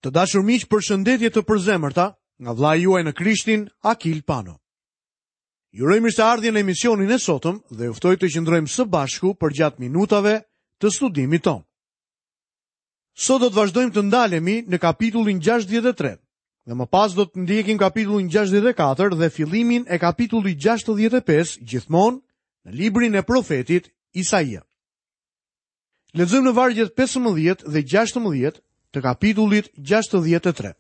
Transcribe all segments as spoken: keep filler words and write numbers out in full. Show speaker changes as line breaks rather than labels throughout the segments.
Të dashur miq, përshëndetje të përzemërta nga vëllai juaj në Krishtin, Akil Pano. Ju uroj mirëseardhjen në emisionin e sotëm dhe ju ftoj të qëndrojmë së bashku përgjatë minutave të studimit tonë. Sot do të vazhdojmë të ndalemi në kapitullin gjashtëdhjetë e tre dhe më pas do të ndjekim kapitullin gjashtëdhjetë e katër dhe fillimin e kapitullit gjashtëdhjetë e pesë, gjithmonë në librin e profetit Isaia. Lexojmë në vargjet pesëmbëdhjetë dhe gjashtëmbëdhjetë të kapitullit gjashtëdhjetë e tre.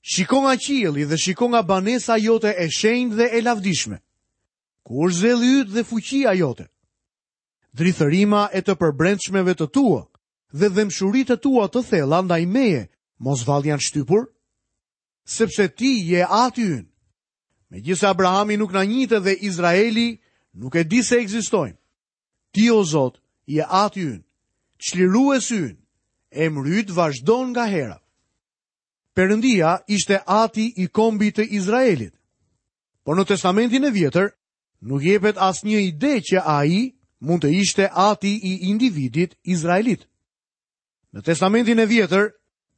Shiko nga qielli dhe shiko nga banesa jote e shenjtë dhe e lavdishme. Ku është zelli yt dhe fuqia jote? Drithërima e të përbrendshmeve të tua dhe dhembshuritë e tua të thella ndaj meje, mos vallë janë shtypur? Sepse ti je ati ynë. Megjithëse Abrahami nuk na njihte dhe Izraeli nuk e di se ekzistojmë. Ti, o Zot, je ati ynë, çliruesi ynë, emri yt vazhdon nga hera. Perëndia ishte ati i kombit të Izraelit. Por në Testamentin e Vjetër nuk jepet asnjë ide që ai mund të ishte ati i individit izraelit. Në Testamentin e Vjetër,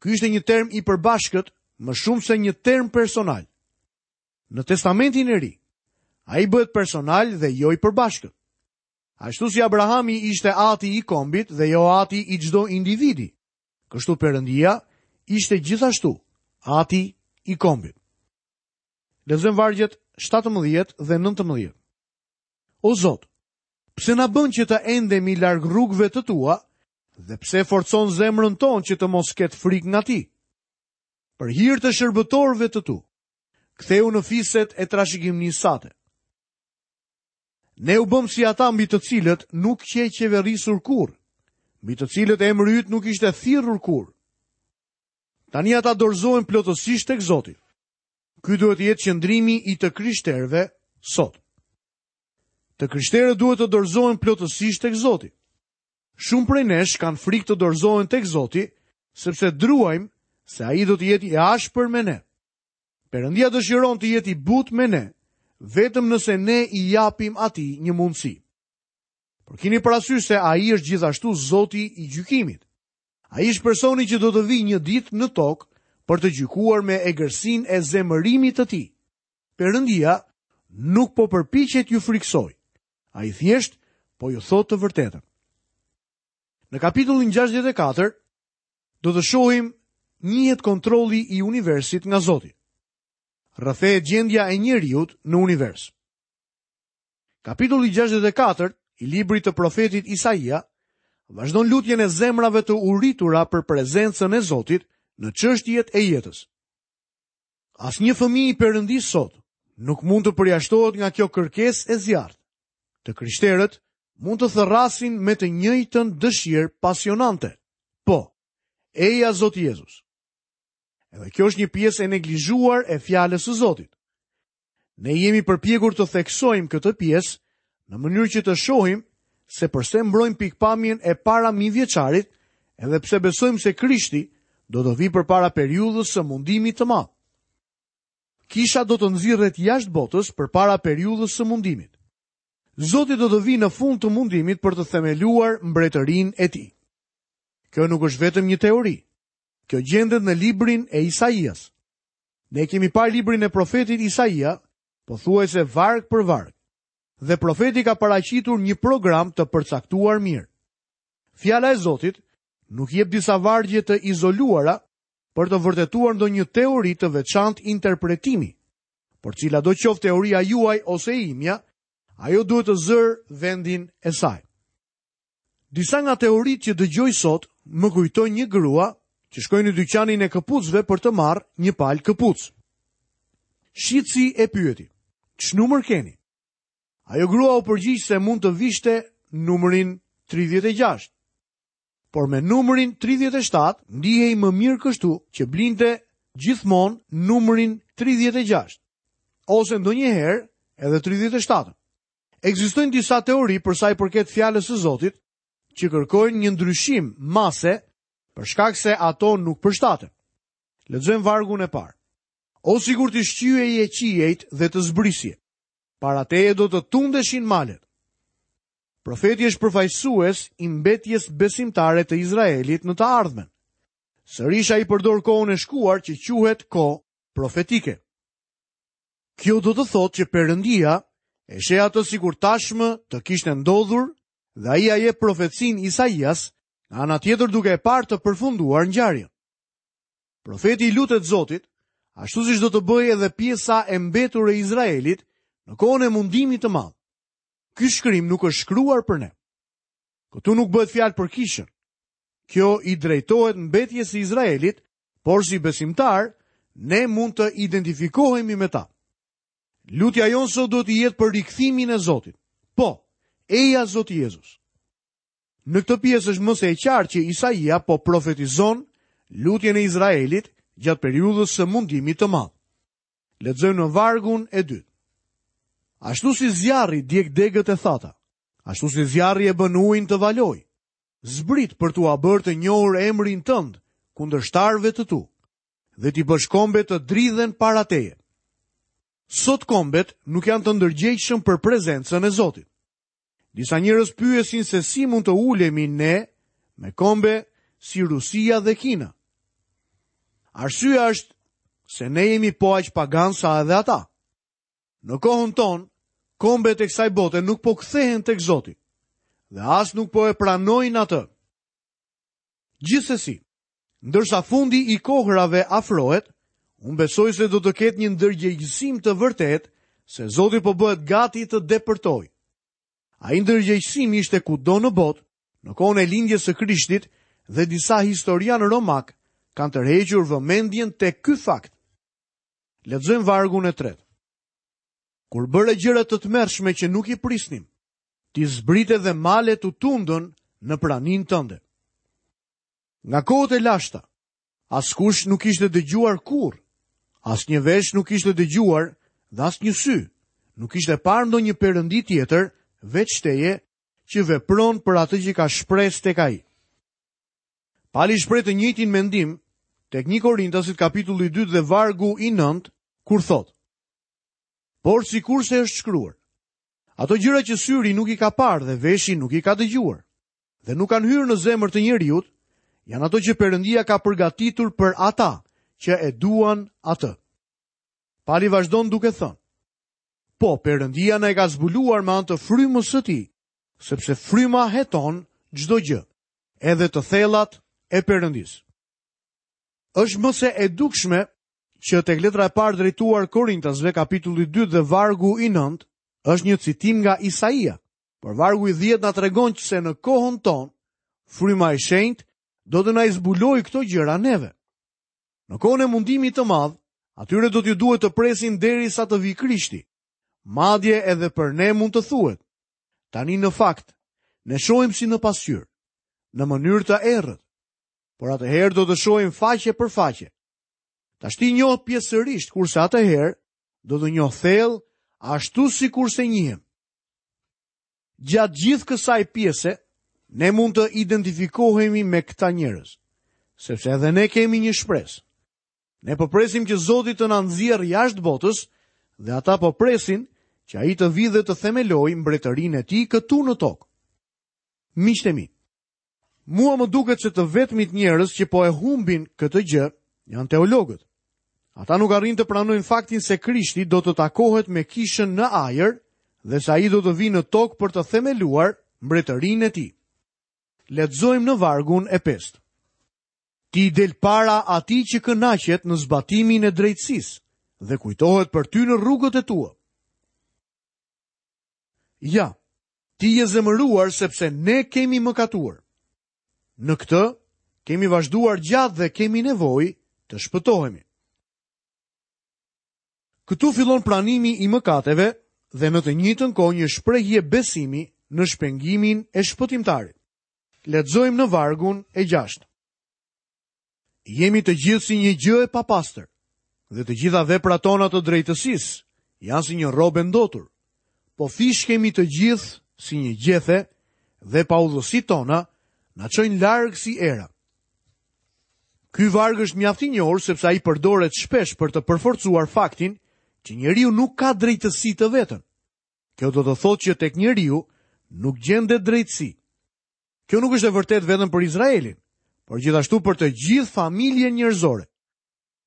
ky ishte një term i përbashkët më shumë se një term personal. Në Testamentin e Ri, ai bëhet personal dhe jo i përbashkët. Ashtu si Abrahami ishte ati i kombit dhe jo ati i çdo individi, kështu Perëndia ishte gjithashtu ati i kombit. Lexojmë vargjet shtatëmbëdhjetë dhe nëntëmbëdhjetë. O Zot, pse na bën që të endemi larg rrugëve të tua dhe pse forcon zemrën tonë që të mos ketë frikë nga ti? Për hir të shërbëtorëve të tu, ktheu në fiset e trashëgimnisë sate. Ne u bëm si ata mbi të cilët nuk qe qeverisur kurrë, mbi të cilët emri yt nuk ishte thirrur kurrë. Tani ata dorëzohen plotësisht tek Zoti. Ky duhet të jetë qëndrimi i të krishterëve sot. Të krishterët duhet të dorëzohen plotësisht tek Zoti. Shumë prej nesh kanë frikë të dorëzohen tek Zoti, sepse druajmë se ai do të jetë i ashpër me ne. Perëndia dëshiron të jetë i butë me ne, vetëm nëse ne i japim atij një mundësi. Por kini parasysh se ai është gjithashtu Zoti i gjykimit. Ai është personi që do të vijë një ditë në tokë për të gjykuar me egërsinë e zemërimit të tij. Perëndia nuk po përpiqet ju friksoj. Ai thjesht po ju thotë të vërtetën. Në kapitullin gjashtëdhjetë e katër do të shohim njihet kontrolli i universit nga Zoti. Rrëfehet gjendja e njeriut në univers. Kapitulli gjashtëdhjetë e katër i librit të profetit Isaia vazhdon lutjen e zemrave të uritura për prezencën e Zotit në çështjet e jetës. Asnjë fëmijë i Perëndisë sot nuk mund të përjashtohet nga kjo kërkesë e zjarrtë. Të krishterët mund të thërrasin me të njëjtën dëshirë pasionante. Po, eja Zoti Jezus. Edhe kjo është një pjesë e neglizhuar e fjalës së Zotit. Ne jemi përpjekur të theksojmë këtë pjesë në mënyrë që të shohim se përse mbrojmë pikpamjen e para mijëvjeçarit, edhe pse besojmë se Krishti do të vijë përpara periudhës së mundimit të madh. Kisha do të nxirret jashtë botës përpara periudhës së mundimit. Zoti do të vijë në fund të mundimit për të themeluar mbretërinë e tij. Kjo nuk është vetëm një teori. Kjo gjendet në librin e Isaias. Ne kemi parë librin e profetit Isaia, pothuajse varg për varg, dhe profeti ka paraqitur një program të përcaktuar mirë. Fjala e Zotit nuk jep disa vargje të izoluara për të vërtetuar ndonjë teori të veçantë interpretimi, por cila do qoftë teoria juaj ose imja, ajo duhet të zërë vendin e saj. Disa nga teoritë që dëgjoj sot më kujtojnë një grua që shkoi në dyqanin e këpucëve për të marrë një palë këpucë. Shitsi e pyeti, Ç'numër keni? Ajo grua u përgjigj se mund të vishte numrin tridhjetë e gjashtë. Por me numrin tridhjetë e shtatë ndihej më mirë kështu që blinte gjithmonë numrin tridhjetë e gjashtë, ose ndonjëherë edhe tridhjetë e shtatë. Ekzistojnë disa teori për sa i përket fjalës së Zotit që kërkojnë një ndryshim mase për shkak se ato nuk përshtaten. Lexojmë vargun e parë. O sikur të shqyeje qiejt dhe të zbrisje, para teje do të tundeshin malet. Profeti është përfaqësues i mbetjes besimtare të Izraelit në të ardhmen. Sërish ai përdor kohën e shkuar që quhet kohë profetike. Kjo do të thotë që Perëndia e sheh atë sikur tashmë të kishte ndodhur dhe ai ia jep profecinë Isaias, nga ana tjetër duke e parë të përfunduar ngjarjen. Profeti i lutet Zotit, ashtu siç do të bëjë edhe pjesa e mbetur e Izraelit në kohën e mundimit të madh. Ky shkrim nuk është shkruar për ne. Këtu nuk bëhet fjalë për kishën. Kjo i drejtohet mbetjes së Izraelit, por si besimtar, ne mund të identifikohemi me ta. Lutja jonë sot duhet të jetë për rikthimin e Zotit. Po, eja Zoti Jezus. Në këtë pjesë është më se e qartë që Isaia po profetizon lutjen e Izraelit gjatë periudhës së mundimit të madh. Lexojmë në vargun e dytë. Ashtu si zjarri djeg degët e thata, ashtu si zjarri e bën ujin të valojë, zbrit për t'ua bërë të njohur emrin tënd kundërshtarëve të tu dhe t'i bësh kombet të dridhen para teje. Sot kombet nuk janë të ndërgjegjshëm për prezencën e Zotit. Disa njerëz pyesin se si mund të ulemi ne me kombe si Rusia dhe Kina. Arsyeja është se ne jemi po aq pagan sa edhe ata. Në kohën tonë, kombet e kësaj bote nuk po kthehen tek Zoti dhe as nuk po e pranojnë atë. Gjithsesi, ndërsa fundi i kohërave afrohet, unë besoj se do të ketë një ndërgjegjësim të vërtetë se Zoti po bëhet gati të depërtojë. Ai ndërgjegjësim ishte kudo në botë, në kohën e lindjes së Krishtit dhe disa historianë romak kanë tërhequr vëmendjen tek ky fakt. Lexojmë vargun e tretë. Kur bëre gjëra të tmerrshme që nuk i prisnim, ti zbrite dhe malet u tundën në praninë tënde. Nga kohët e lashta, askush nuk ishte dëgjuar kurrë, asnjë vesh nuk ishte dëgjuar dhe asnjë sy nuk ishte parë ndonjë perëndi tjetër veç teje që vepron për atë që ka shpresë tek ai. Pali shpreh të njëjtin mendim tek një Korintasit kapitulli dy dhe vargu i nëntë, kur thotë: Por sikurse është shkruar, ato gjëra që syri nuk i ka parë dhe veshi nuk i ka dëgjuar, dhe nuk kanë hyrë në zemër të njeriut, janë ato që Perëndia ka përgatitur për ata që e duan atë. Pali vazhdon duke thënë: Po, Perëndia na e ka zbuluar me anë të frymës së tij, sepse fryma heton çdo gjë, edhe të thellat e Perëndisë. Është më se e dukshme që tek letra e parë drejtuar Korintasve, kapitulli dy dhe vargu i nëntë, është një citim nga Isaia, por vargu i dhjetë na tregon se në kohën tonë, fryma e shenjtë do të na i zbulojë këto gjëra neve. Në kohën e mundimit të madh, atyre do t'ju duhet të presin derisa të vijë Krishti. Madje edhe për ne mund të thuhet. Tani në fakt, ne shohim si në pasqyrë, në mënyrë të errët, por atëherë do të shohim faqe për faqe. Tashti njoh pjesërisht, kurse atëherë do të njoh thellë, ashtu sikurse njihem. Gjatë gjithë kësaj pjese, ne mund të identifikohemi me këta njerëz, sepse edhe ne kemi një shpresë. Ne po presim që Zoti të na nxjerrë jashtë botës dhe ata po presin që ai të vijë dhe të themelojë mbretërinë e tij këtu në tokë. Miqtë e mi, mua më duket se të vetmit njerëz që po e humbin këtë gjë janë teologët. Ata nuk arrijnë të pranojnë faktin se Krishti do të takohet me kishën në ajër dhe se ai do të vijë në tokë për të themeluar mbretërinë e tij. Lexojmë në vargun e pestë. Ti del para atij që kënaqet në zbatimin e drejtësisë dhe kujtohet për ty në rrugët e tua. Ja, ti je zemëruar sepse ne kemi mëkatuar. Në këtë kemi vazhduar gjatë dhe kemi nevojë të shpëtohemi. Këtu fillon pranimi i mëkateve dhe në të njëjtën kohë një shprehje besimi në shpengimin e shpëtimtarit. Lexojmë në vargun e gjashtë. Jemi të gjithë si një gjë e papastër, dhe të gjitha veprat tona të drejtësisë janë si një rrobë e ndotur. Po fishkemi të gjithë si një gjethe dhe paudhësitë tona na çojnë larg si era. Ky varg është mjaft i njohur sepse ai përdoret shpesh për të përforcuar faktin që njeriu nuk ka drejtësi të vetën. Kjo do të thotë që tek njeriu nuk gjendet drejtësi. Kjo nuk është e vërtetë vetëm për Izraelin, por gjithashtu për të gjithë familjen njerëzore.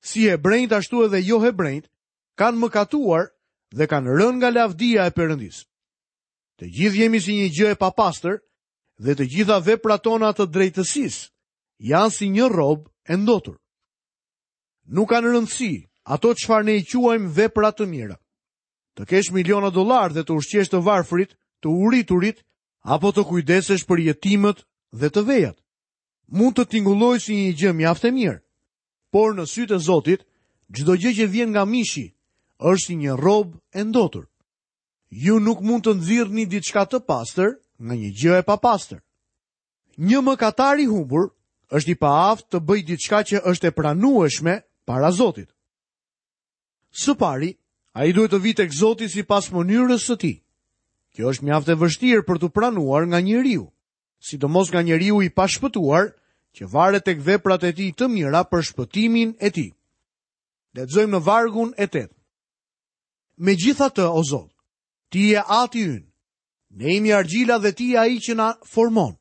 Si hebrenjt ashtu edhe jo hebrenjt kanë mëkatuar dhe kanë rënë nga lavdia e Perëndisë. Të gjithë jemi si një gjë e papastër dhe të gjitha veprat tona të drejtësisë janë si një rrobë e ndotur. Nuk kanë rëndësi ato çfarë ne i quajmë vepra të mira. Të kesh miliona dollar dhe të ushqesh të varfrit, të uriturit, apo të kujdesesh për jetimët dhe të vejat. Mund të tingullojë si një gjë mjaft e mirë, por në sytë e Zotit, çdo gjë që vjen nga mishi është si një rrobë e ndotur. Ju nuk mund të nxirrni diçka të pastër nga një gjë e papastër. Një mëkatar i humbur është i paaftë të bëjë diçka që është e pranueshme para Zotit. Së pari, ai duhet të vijë tek Zoti sipas mënyrës së tij. Kjo është mjaft e vështirë për t'u pranuar nga njeriu, sidomos nga njeriu i pashpëtuar që varet tek veprat e tij të mira për shpëtimin e tij. Lexojmë në vargun e tetë. Megjithatë, o Zot, ti je Ati ynë. Ne jemi argjila dhe ti je ai që na formon.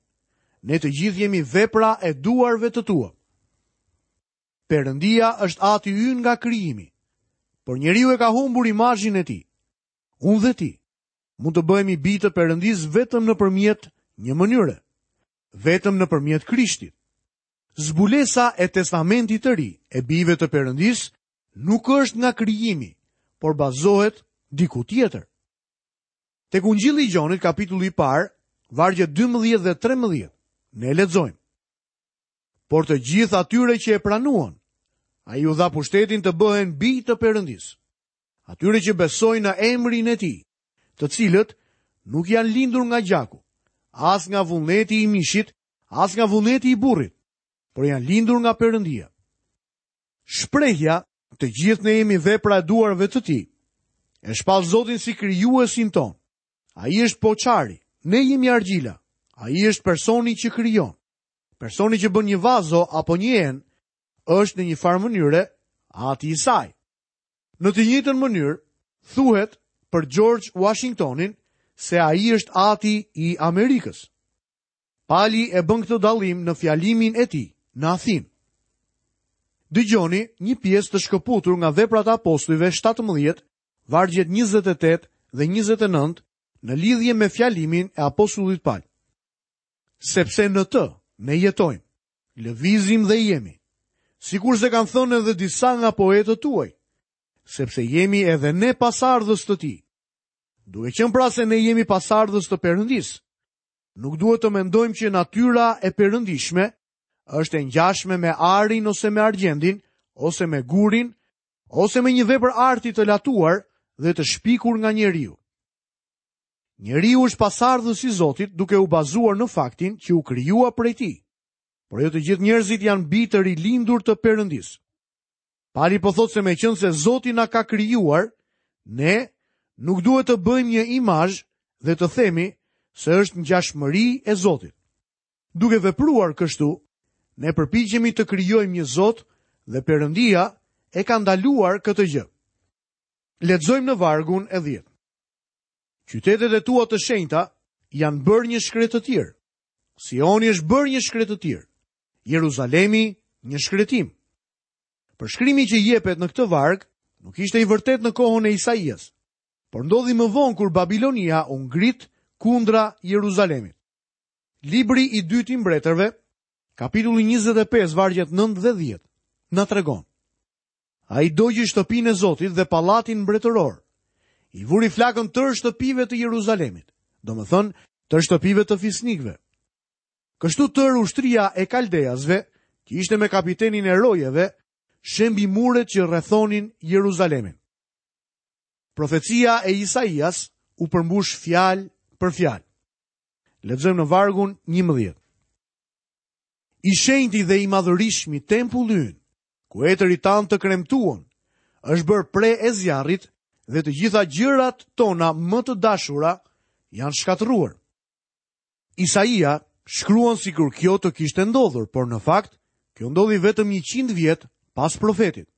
Ne të gjithë jemi vepra e duarve të tua. Perëndia është Ati ynë nga krijimi, por njeriu e ka humbur imazhin e tij. Unë dhe ti mund të bëhemi bij të Perëndisë vetëm nëpërmjet një mënyre, vetëm nëpërmjet Krishtit. Zbulesa e Testamentit të Ri e bijve të Perëndisë nuk është nga krijimi, por bazohet diku tjetër. Tek Ungjilli i Gjonit, kapitulli i parë, vargjet dymbëdhjetë dhe trembëdhjetë, ne lexojmë. Por të gjithë atyre që e pranuan, ai u dha pushtetin të bëhen bij të Perëndisë. Atyre që besojnë në emrin e tij, të cilët nuk janë lindur nga gjaku, as nga vullneti i mishit, as nga vullneti i burrit, por janë lindur nga Perëndia. Shprehja, të gjithë ne jemi vepra e duarve të tij, e shpall Zotin si krijuesin ton. Ai është poçari, ne jemi argjila. Ai është personi që krijon. Personi që bën një vazo apo një enë është në një farë mënyre ati i saj. Në të njëjtën mënyrë, thuhet për George Washingtonin se ai është ati i Amerikës. Pali e bën këtë dallim në fjalimin e tij në Athinë. Dëgjoni një pjesë të shkëputur nga veprat e apostujve shtatëmbëdhjetë, vargjet njëzet e tetë dhe njëzet e nëntë në lidhje me fjalimin e apostullit Pal. Sepse në të ne jetojmë, lëvizim dhe jemi, sikurse kanë thënë edhe disa nga poetët tuaj, sepse jemi edhe ne pasardhës të tij. Duke qenë pra se ne jemi pasardhës të Perëndisë, nuk duhet të mendojmë që natyra e perëndishme është e ngjashme me arin ose me argjendin, ose me gurin, ose me një vepër arti të latuar dhe të shpikur nga njeriu. Njeriu është pasardhës i Zotit duke u bazuar në faktin që u krijua prej tij. Por jo të gjithë njerëzit janë bij të rilindur të Perëndisë. Pali po thotë se meqense Zoti na ka krijuar, ne nuk duhet të bëjmë një imazh dhe të themi se është ngjashmëri e Zotit. Duke vepruar kështu, ne përpiqemi të krijojmë një Zot dhe Perëndia e ka ndaluar këtë gjë. Lexojmë në vargun e dhjetë. Qytetet e tua të shenjta janë bërë një shkretëtirë. Sioni është bërë një shkretëtirë. Jeruzalemi një shkretim. Përshkrimi që jepet në këtë varg nuk ishte i vërtet në kohën e Isaias, por ndodhi më vonë kur Babilonia u ngrit kundra Jeruzalemit. Libri i dytë i mbretërve, kapitulli njëzet e pesë, vargjet nëntë dhe dhjetë, na tregon. Ai dogji shtëpinë e Zotit dhe pallatin mbretëror. I vuri flakën tërë shtëpive të Jeruzalemit, domethënë tërë shtëpive të fisnikëve. Kështu tërë ushtria e Kaldeasve, që ishte me kapitenin e rojeve, shembi muret që rrethonin Jeruzalemin. Profecia e Isaias u përmbush fjalë për fjalë. Lexojmë në vargun njëmbëdhjetë. I shenjti dhe i madhërishmi tempulli ynë, ku etërit tanë të kremtuan, është bërë pre e zjarrit dhe të gjitha gjërat tona më të dashura janë shkatërruar. Isaia shkruan sikur kjo të kishte ndodhur, por në fakt kjo ndodhi vetëm njëqind vjet pas profetit.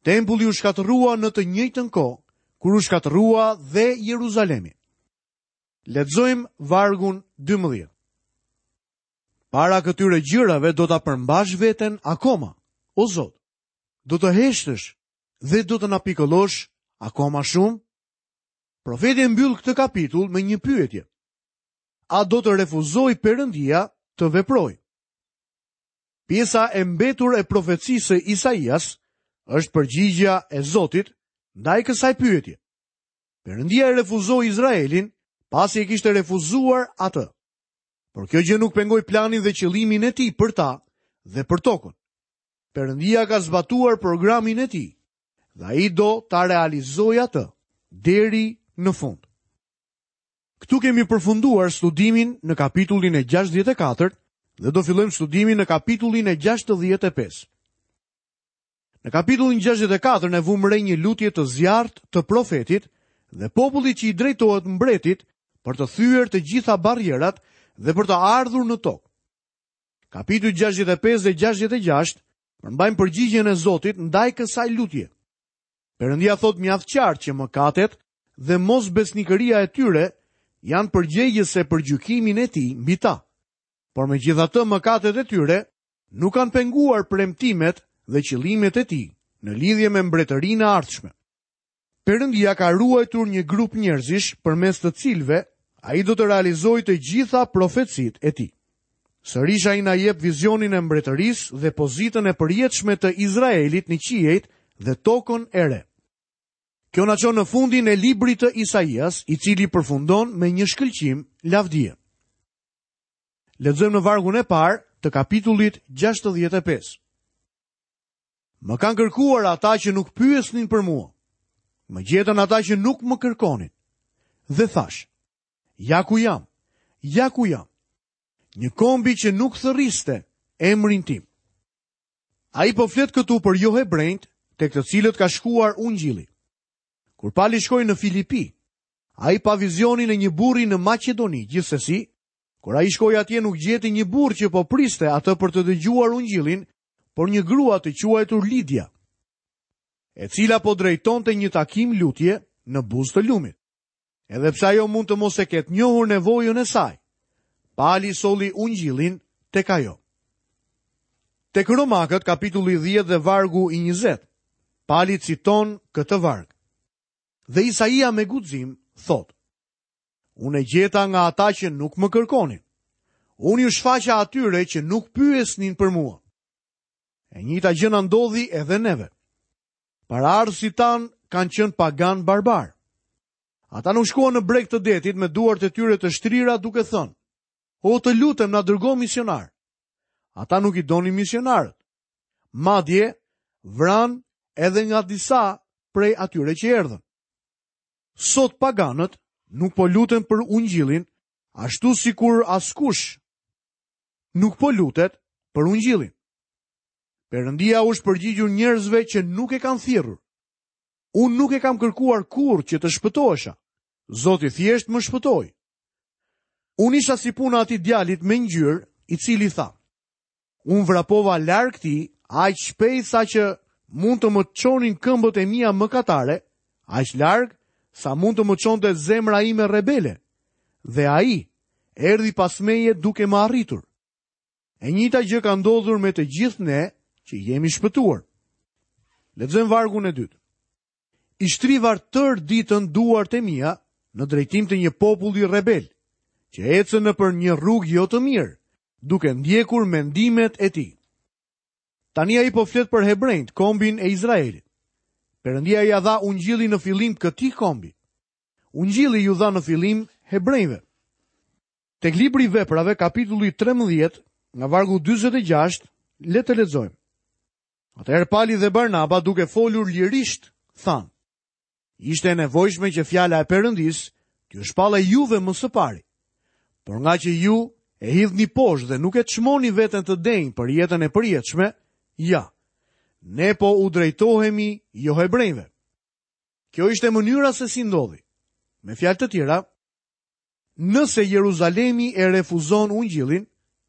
Tempulli u shkatërrua në të njëjtën kohë kur u shkatërrua dhe Jeruzalemi. Lexojmë vargun dymbëdhjetë. Para këtyre gjërave do ta përmbash veten akoma, o Zot. Do të heshtësh dhe do të na pikëllosh akoma shumë? Profeti e mbyll këtë kapitull me një pyetje. A do të refuzojë Perëndia të veprojë? Pjesa e mbetur e profecisë së Isaias është përgjigja e Zotit ndaj kësaj pyetje. Perëndia e refuzoi Izraelin pasi e kishte refuzuar atë. Por kjo gjë nuk pengoi planin dhe qëllimin e tij për ta dhe për tokën. Perëndia ka zbatuar programin e tij dhe ai do ta realizojë atë deri në fund. Këtu kemi përfunduar studimin në kapitullin e gjashtëdhjetë e katërt dhe do fillojmë studimin në kapitullin e gjashtëdhjetë e pesë. Në kapitullin gjashtëdhjetë e katër ne vumë re një lutje të zjarrt të profetit dhe popullit që i drejtohet mbretit për të thyer të gjitha barrierat dhe për të ardhur në tokë. Kapitulli gjashtëdhjetë e pesë dhe gjashtëdhjetë e gjashtë përmbajnë përgjigjen e Zotit ndaj kësaj lutje. Perëndia thotë mjaft qartë që mëkatet dhe mosbesnikëria e tyre janë përgjegjëse për gjykimin e tij mbi ta. Por megjithatë mëkatet e tyre nuk kanë penguar premtimet dhe qëllimet e tij në lidhje me mbretërinë e ardhshme. Perëndia ka ruajtur një grup njerëzish përmes të cilëve ai do të realizojë të gjitha profecitë e tij. Sërish ai na jep vizionin e mbretërisë dhe pozitën e përjetshme të Izraelit në qiejt dhe tokën e re. Kjo na çon në fundin e librit të Isaias, i cili përfundon me një shkëlqim lavdie. Lexojmë në vargun e parë të kapitullit gjashtëdhjetë e pesë. Më kanë kërkuar ata që nuk pyesnin për mua. Më gjetën ata që nuk më kërkonin. Dhe thash, ja ku jam, ja ku jam. Një kombi që nuk thërriste emrin tim. Ai po flet këtu për jo hebrejt, tek të cilët ka shkuar ungjilli. Kur Pali shkoi në Filipi, ai pa vizionin e një burri në Maqedoni, gjithsesi, kur ai shkoi atje nuk gjeti një burrë që po priste atë për të dëgjuar ungjillin, por një grua të quajtur Lidia, e cila po drejtonte një takim lutje në buzë të lumit. Edhe pse ajo mund të mos e ketë njohur nevojën e saj, Pali solli ungjillin tek ajo. Tek Romakët, kapitulli dhjetë dhe vargu i njëzet, Pali citon këtë varg. Dhe Isaia me guxim thotë: Unë e gjeta nga ata që nuk më kërkonin. Unë ju shfaqa atyre që nuk pyesnin për mua. E njëjta gjë na ndodhi edhe neve. Paraardhësit tanë kanë qenë pagan barbar. Ata nuk shkuan në breg të detit me duart e tyre të shtrira duke thënë: O të lutem, na dërgo misionar. Ata nuk i donin misionarët. Madje vran edhe nga disa prej atyre që erdhën. Sot paganët nuk po luten për ungjillin, ashtu sikur askush nuk po lutet për ungjillin. Perëndia u është përgjigjur njerëzve që nuk e kanë thirrur. Unë nuk e kam kërkuar kurrë që të shpëtohesha. Zoti thjesht më shpëtoi. Unë isha si puna atij djalit me ngjyrë, i cili tha: Unë vrapova larg tij, aq shpejt sa që mund të më çonin këmbët e mia mëkatare, aq larg sa mund të më çonte zemra ime rebele. Dhe ai erdhi pas meje duke më arritur. E njëjta gjë ka ndodhur me të gjithë ne që jemi shpëtuar. Lexojmë vargun e dytë. I shtrivar tër ditën duart e mia në drejtim të një populli rebel, që ecën nëpër një rrugë jo të mirë, duke ndjekur mendimet e tij. Tani ai po flet për hebrejt, kombin e Izraelit. Perëndia ia dha ungjillin në fillim këtij kombi. Ungjilli ju dha në fillim hebrejve. Tek libri i Veprave, kapitulli trembëdhjetë, nga vargu dyzet e gjashtë, le të lexojmë. Atëherë Pali dhe Barnaba, duke folur lirisht, thanë: Ishte e nevojshme që fjala e Perëndisë t'ju shpallej juve më së pari. Por nga që ju e hidhni poshtë dhe nuk e çmoni veten të denjë për jetën e përjetshme, ja, ne po u drejtohemi jo hebrejve. Kjo ishte mënyra se si ndodhi. Me fjalë të tjera, nëse Jeruzalemi e refuzon ungjillin,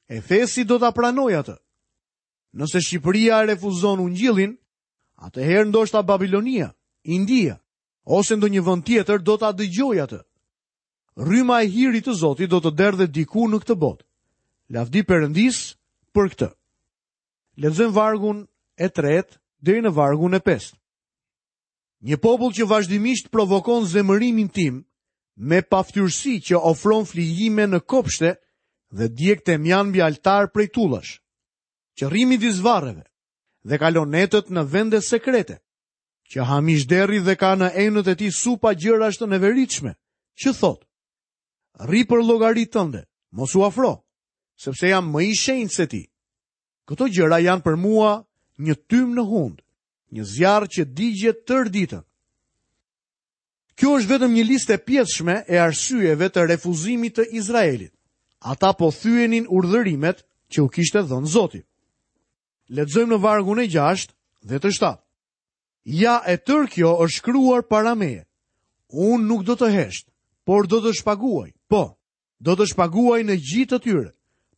Efesi do ta pranojë atë. Nëse Shqipëria e refuzon ungjillin, atëherë ndoshta Babilonia, India ose ndonjë vend tjetër do ta dëgjojë atë. Rryma e hirit të Zotit do të derdhet diku në këtë botë. Lavdi Perëndisë për këtë. Lexojmë vargun e tretë deri në vargun e pestë. Një popull që vazhdimisht provokon zemërimin tim me paftyrësi që ofron flijime në kopshte dhe djeg temjan mbi altar prej tullash, që rri midis varreve dhe kalon netët në vende sekrete, që ha mish derri dhe ka në enët e tij supa gjërash të neveritshme, që thotë: Rri për llogari tënde, mos u afro, sepse jam më i shenjtë se ti. Këto gjëra janë për mua një tym në hund, një zjarr që digjet tërë ditën. Kjo është vetëm një listë e pjesshme e arsyeve të refuzimit të Izraelit. Ata po thyenin urdhërimet që u kishte dhënë Zoti. Lexojmë në vargun e gjashtë dhe të shtatë. Ja, e tërë kjo është shkruar para meje. Unë nuk do të hesht, por do të shpaguaj. Po, do të shpaguaj në gji të tyre,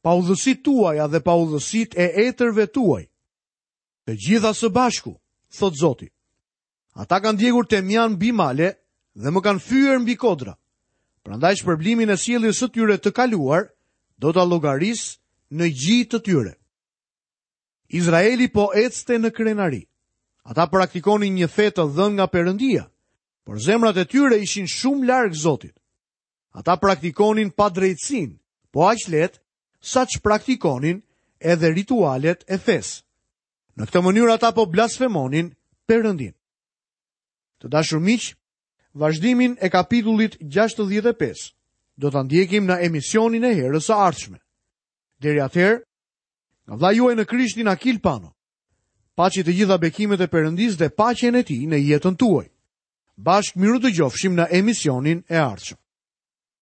paudhësitë tuaja dhe paudhësitë e etërve tuaj. Të gjitha së bashku, thot Zoti. Ata kanë djegur temjan mbi male dhe më kanë fyer mbi kodra. Prandaj shpërblimin e sjelljes së tyre të kaluar do ta llogaris në gji të tyre. Izraeli po ecte në krenari. Ata praktikonin një fe të dhënë nga Perëndia, por zemrat e tyre ishin shumë larg Zotit. Ata praktikonin padrejtësinë, po aq lehtë sa që praktikonin edhe ritualet e fesë. Në këtë mënyrë ata po blasfemonin Perëndin. Të dashur miq, vazhdimin e kapitullit gjashtëdhjetë e pesë do ta ndjekim në emisionin e herës së ardhshme. Deri atëherë, nga vëllai juaj në Krishtin Akil Pano. Paçi të gjitha bekimet e Perëndisë dhe paqen e tij në jetën tuaj. Bashkë miru dëgjofshim në emisionin e ardhshëm.